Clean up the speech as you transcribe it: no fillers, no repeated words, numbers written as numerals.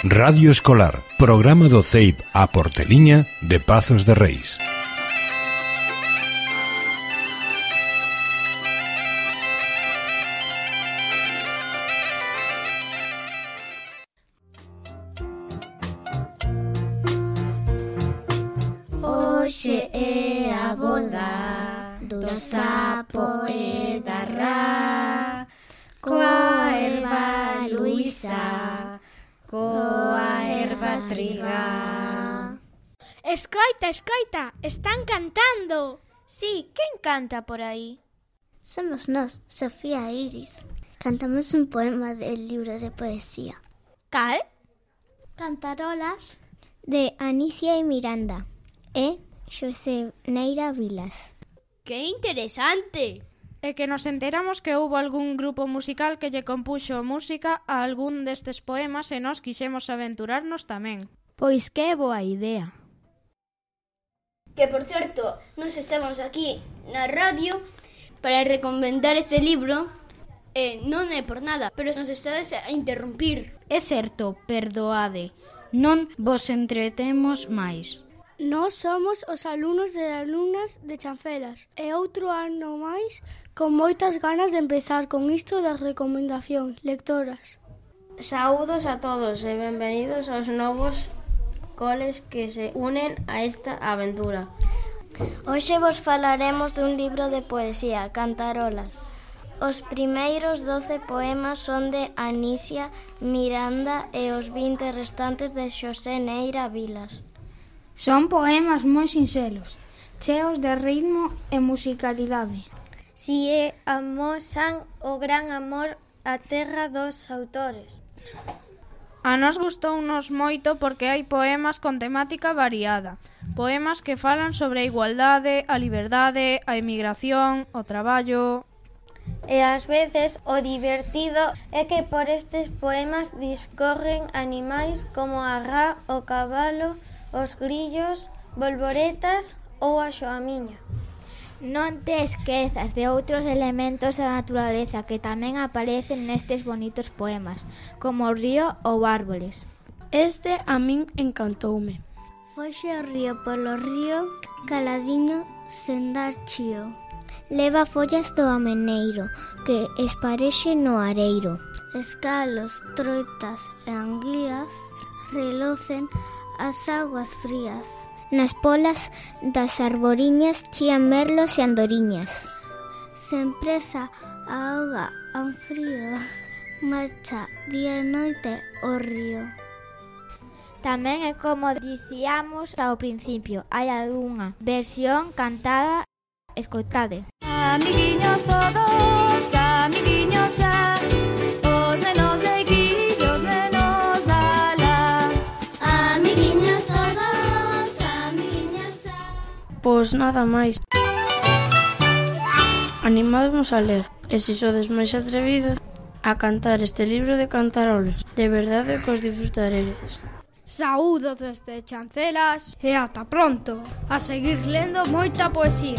Radio Escolar, programa do CEIP a Porteliña de Pazos de Reis. Hoxe é a boda do sapo e da rá, coa erva luisa, coa erva trigá. Escoita, escoita, están cantando. Sí, quen canta por aí? Somos nós, Sofía e Iris. Cantamos un poema del libro de poesía. Cal? Cantarolas de Anicia e Miranda e Xosé Neira Vilas. ¡Qué interesante! É que nos enteramos que houbo algún grupo musical que lle compuxo música a algún destes poemas e nós quixemos aventurarnos tamén. Pois que boa idea. Que, por certo, nos estamos aquí na radio para recomendar este libro e non é por nada, pero nos estades a interrumpir. É certo, perdoade, non vos entretemos máis. Nós somos os alumnos e alumnas de Chancelas e outro ano máis con moitas ganas de empezar con isto das recomendacións lectoras. Saúdos a todos e benvenidos aos novos coles que se unen a esta aventura. Hoxe vos falaremos dun libro de poesía, Cantarolas. Os primeiros 12 poemas son de Anicia Miranda e os 20 restantes de Xosé Neira Vilas. Son poemas moi sinxelos, cheos de ritmo e musicalidade. Si e amosan o gran amor á terra dos autores. A nos gustounos moito porque hai poemas con temática variada. Poemas que falan sobre a igualdade, a liberdade, a emigración, o traballo. E ás veces o divertido é que por estes poemas discorren animais como a rá, o cabalo, os grillos, bolboretas ou a xoamiña. Non te esquezas de outros elementos da naturaleza que tamén aparecen nestes bonitos poemas, como o río ou árboles. Este a min encantoume. Foxe o río polo río, caladiño, sen dar chío. Leva follas do ameneiro, que esparexe no areiro. Escalos, troitas e anguías relocen as aguas frías. Nas polas das arboriñas chían merlos e andoriñas. Sen presa a auga an frío, marcha día e noite o río. Tamén é como dicíamos ao principio, hai algunha versión cantada, escoitade. Amiguiños todos, amiguiños xa, os nenos de aquí, os nenos da la. Amiguiños todos, amiguiños xa. Pois nada máis. Animádemos a ler, e se sodes máis atrevidos, a cantar este libro de cantarolas. De verdade que os disfrutaredes. Saúdos desde Chancelas e ata pronto. A seguir lendo moita poesía.